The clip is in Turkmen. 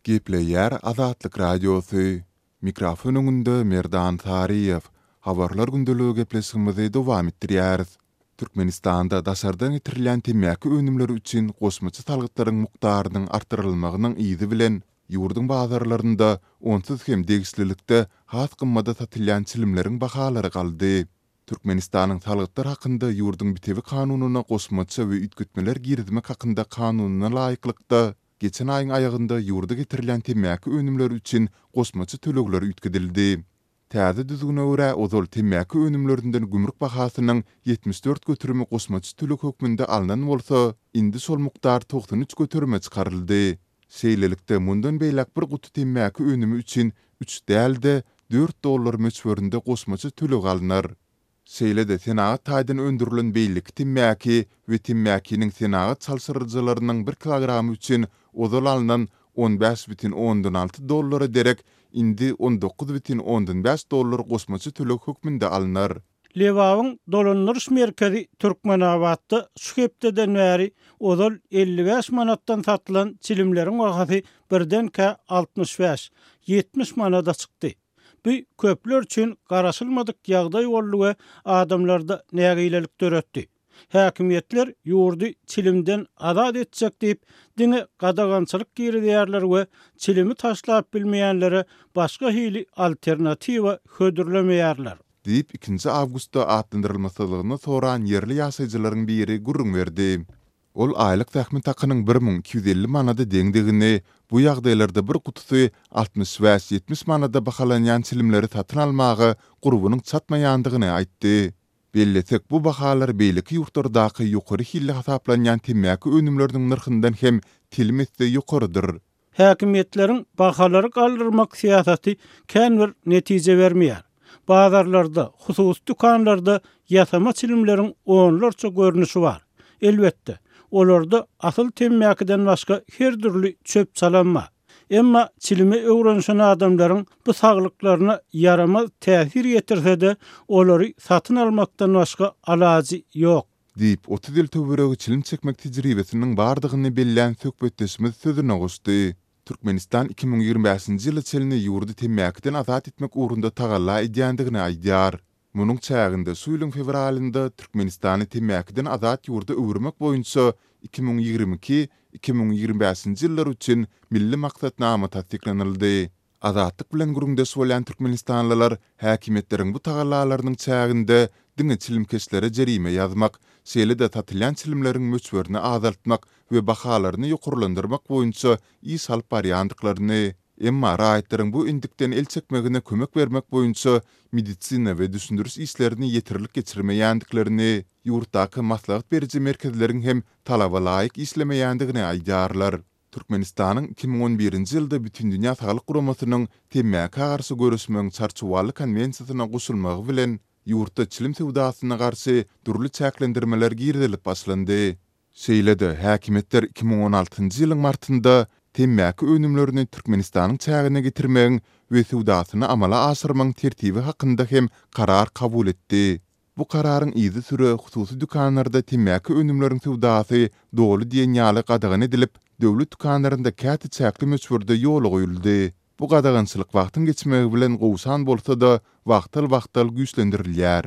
Gepleýär Azatlyk Radiosy. Mikrofon öňünde Merdan Saryýew. Habarlar gündeligi gepleşigimizi dowam etdirýäris. Türkmenistanda daşardan getirilýän temmäki önümleri üçin goşmaça salgytlaryň mukdarynyň artdyrylmagynyň yzy bilen, ýurduň bazarlarynda onsuz hem degişlilikde has gymmada satylýan çilimleriň bahalary galdy. Türkmenistanyň Salgytlar hakynda ýurduň bitewi kanunyna goşmaça we üýtgetmeler girizmek hakynda kanunyna laýyklykda, geçen aýyň aýagynda ýurda getirilýän temmäki önümleri üçin goşmaça tölegler üýtgedildi. Täze düzgüne görä, ozal temmäki önümlerinden gümrük bahasynyň 74 göterimi goşmaça töleg hökmünde alnan bolsa, indi şol mukdar 93 göterime çykaryldy. Şeýlelikde, mundan beýläk bir guty temmäki önümi üçin üç däl-de, dört dollar möçberinde goşmaça töleg alnar. Şeýle-de senagat taýdan öndürilen beýleki temmäki we temmäkiniň senagat çalşyryjylarynyň bir kilogramy üçin ozal alnan 15,6 dollara derek indi 19,5 dollar goşmaça töleg hökmünde alnar. Lebabyň dolandyryş merkezi Türkmenabatda şu hepdeden bäri ozal 55 manatdan satylan çilimleriň bahasy birdenkä 65, 70 manada çykdy. Bu köpler üçin garaşylmadyk ýagdaý boldy we adamlarda nägilelik döretdi. Häkimiýetler ýurdy çilimden azat etjek diýip, diňe gadagançylyk girizýärler we çilimi taşlap bilmeýänlere başga hili alternatiwa hödürlemeýärler. Diýip, ikinji awgustda atlandyrylmasyzlygyny soran ýerli ýaşaýjylaryň biri gürrüň berdi. Ol aýlyk zähmet hakynyň 1250 manada deňdigini, bu ýagdaýlarda bir gutusy 65-70 manada bahalanýan çilimleri satyn almaga gurbunyň çatmaýandygyny aýtdy. Bellesek, bu bahalar beýleki ýurtlardaky ýokary hilli hasaplanýan temmäki önümleriniň nyrhyndan hem telim esse ýokarydyr. Häkimiýetleriň bahalary galdyrmak syýasaty kän bir netije bermeýär. Bazarlarda, hususy dükanlarda ýasama çilimleriň onlarça görnüşi bar. Elbetde, olarda asyl temmäkiden başga her dürli çöp-çalam bar. Emma çilime öwrenişen adamlaryň bu saglyklaryna ýaramaz täsir ýetirse-de, olary satyn almakdan başga alajy ýok. Diýip, 30 ýyl töweregi çilim çekmek tejribesiniň bardygyny bellän söhbetdeşimiz sözüne goşdy. Türkmenistan 2025-nji ýyla çenli ýurdy temmäkiden azat etmek ugrunda tagalla edýändigini aýdýar. Munuň çäginde şu ýylyň fewralynda Türkmenistany temmäkiden azat ýurda öwürmek boýunça 2022, 2025-nji ýyllar üçin Milli maksatnama tassyklanyldy. Azatlyk bilen gürrüňdeş bolýan türkmenistanlylar häkimiýetleriň bu tagallalarynyň çäginde diňe çilimkeşlere jerime ýazmak, şeýle-de satylýan çilimleriň möçberini azaltmak we bahalaryny ýokarlandyrmak boýunça iş alyp barýandyklaryny, emma raýatlaryň bu endikden el çekmegine kömek bermek boýunça medisina we düşündiriş işlerini ýeterlik geçirmeýändiklerini, ýurtdaky maslahat beriji merkezleriň hem talaba laýyk işlemeýändigini aýdýarlar. Türkmenistanyň 2011-nji ýylda Bütindünýä Saglyk Guramasynyň temmäkä garşy göreşmegiň Çarçuwaly konwensiýasyna goşulmagy bilen, ýurtda çilim söwdasyna garşy dürli çäklendirmeler girizilip başlandy. Şeýle-de, häkimiýetler 2016-njy ýylyň martynda temmäki önümlerini Türkmenistanyň çägine getirmegiň we söwdasyny amala aşyrmagyň tertibi hakynda hem karar kabul etdi. Bu kararyň yzysüre hususy dükanlarda temmäki önümleriň söwdasy doly diýen ýaly gadagan edilip, döwlet dükanlarynda käte çäkli möçberde ýola goýuldy. Bu gadagançylyk wagtyň geçmegi bilen gowşan bolsa-da, wagtal-wagtal güýçlendirilýär.